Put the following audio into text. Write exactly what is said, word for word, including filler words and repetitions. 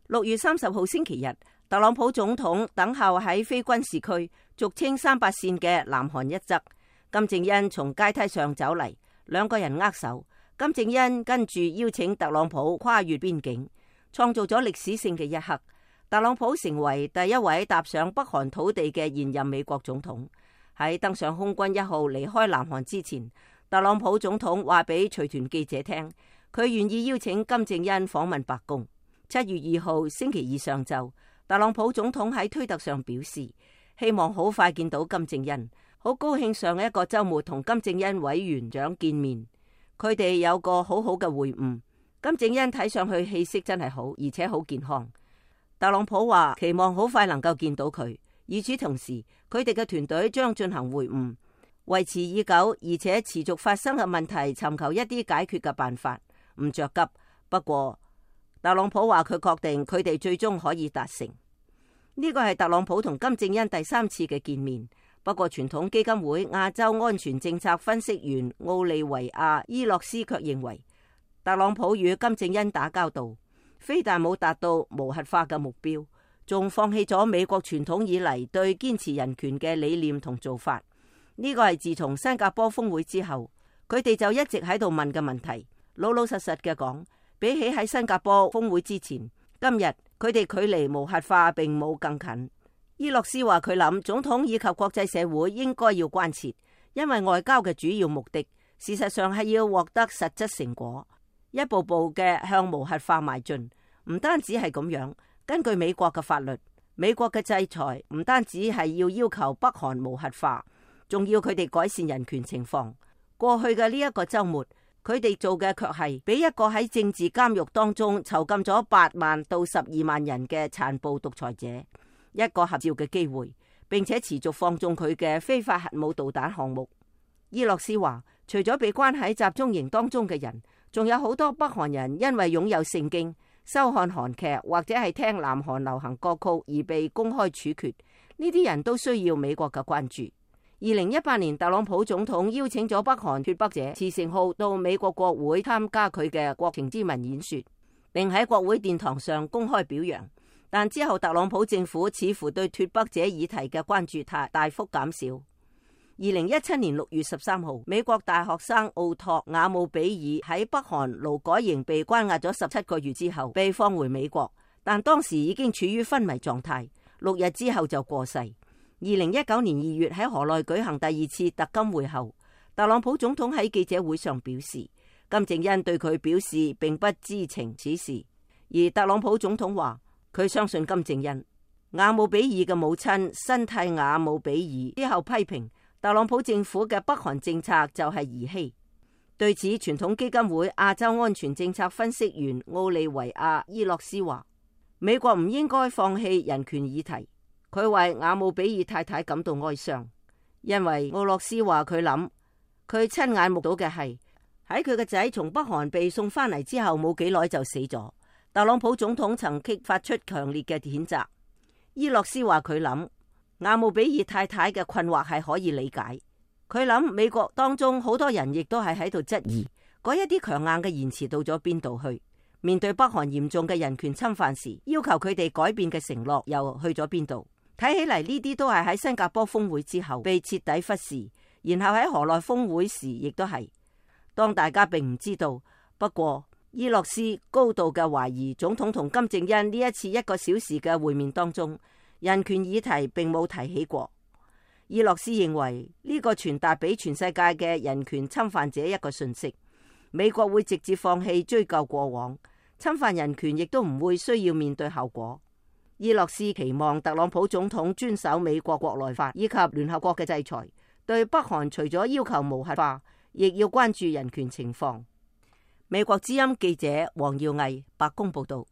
六月三十號星期日，特朗普總統等候喺非軍事區，俗稱三八線嘅南韓一側。金正恩從階梯上走嚟，兩個人握手。金正恩跟住邀請特朗普跨越邊境，創造咗歷史性嘅一刻。特朗普成為第一位踏上北韓土地嘅現任美國總統。喺登上空軍一號離開南韓之前，特朗普總統話俾隨團記者聽，佢願意邀請金正恩訪問白宮。七月二號星期二上晝，特朗普總統喺推特上表示，希望好快見到金正恩，好高興上一個週末同金正恩委員長見面，佢哋有個好好嘅會晤。金正恩睇上去氣色真係好，而且好健康。特朗普話期望好快能夠見到佢，與此同時，佢哋嘅團隊將進行會晤，維持已久而且持續發生嘅問題，尋求一啲解決嘅辦法，唔着急。不過，特朗普話佢確定佢哋最終可以達成。呢個係特朗普同金正恩第三次嘅見面。不過傳統基金會亞洲安全政策分析員奧利維亞伊洛斯卻認為，特朗普與金正恩打交道，非但冇達到無核化嘅目標，仲放棄咗美國傳統以嚟對堅持人權嘅理念同做法。呢個係自從新加坡峰會之後，佢哋就一直喺度問嘅問題。老老實實嘅講，比起喺新加坡峰會之前，今日佢哋距離無核化並冇更近。伊洛斯話佢諗總統以及國際社會應該要關切，因為外交嘅主要目的事實上係要獲得實質成果，一步步嘅向無核化邁進。唔單止係咁樣，根據美國嘅法律，美國嘅制裁唔單止係要要求北韓無核化，仲要佢哋改善人權情況。過去嘅呢一個週末，佢哋做嘅卻係俾一個喺政治監獄當中囚禁咗八萬到十二萬人嘅殘暴獨裁者一個合照嘅機會，並且持續放縱佢嘅非法核武導彈項目。伊洛斯話，除咗被關喺集中營當中嘅人，仲有好多北韓人因為擁有聖經、收看韓劇或者係聽南韓流行歌曲而被公開處決。呢啲人都需要美國嘅關注。二零一八年，特朗普總統邀請咗北韓脫北者慈誠浩到美國國會參加佢嘅國情咨文演說，並喺國會殿堂上公開表揚。但之後特朗普政府似乎對脫北者議題嘅關注大大幅減少。二零一七年六月十三號，美國大學生奧托瓦姆比爾喺北韓勞改營被關押咗十七個月之後被放回美國，但當時已經處於昏迷狀態，六日之後就過世。二零一九年二月喺河內舉行第二次特金會後，特朗普總統喺記者會上表示，金正恩對佢表示並不知情此事，而特朗普總統話佢相信金正恩。瓦姆比爾嘅母親辛蒂瓦姆比爾之後批評特朗普政府嘅北韓政策就係兒戲。對此，傳統基金會亞洲安全政策分析員奧利維亞伊洛斯話，美國唔應該放棄人權議題。佢為瓦姆比爾太太感到哀傷，因為奧洛斯話佢諗佢親眼目睹嘅係喺佢嘅仔從北韓被送翻嚟之後冇幾耐就死咗。特朗普總統曾激發出強烈嘅譴責。伊洛斯話佢諗瓦姆比爾太太嘅困惑係可以理解。佢諗美國當中好多人亦都係喺度質疑嗰一啲強硬嘅言辭到咗邊度去。面對北韓嚴重嘅人權侵犯時，要求佢哋改變嘅承諾又去咗邊度？睇起嚟呢啲都係喺新加坡峰會之後被徹底忽視，然後喺河內峰會時亦都係。當大家並唔知道，不過伊洛斯高度嘅懷疑總統同金正恩呢一次一個小時嘅會面當中，人權議題並冇提起過。伊洛斯認為呢個傳達俾全世界嘅人權侵犯者一個訊息，美國會直接放棄追究過往，侵犯人權亦都唔會需要面對後果。伊洛斯期望特朗普總統遵守美國國內法以及聯合國嘅制裁，對北韓除咗要求無核化，亦要關注人權情況。美國之音記者黃耀毅白宮報道。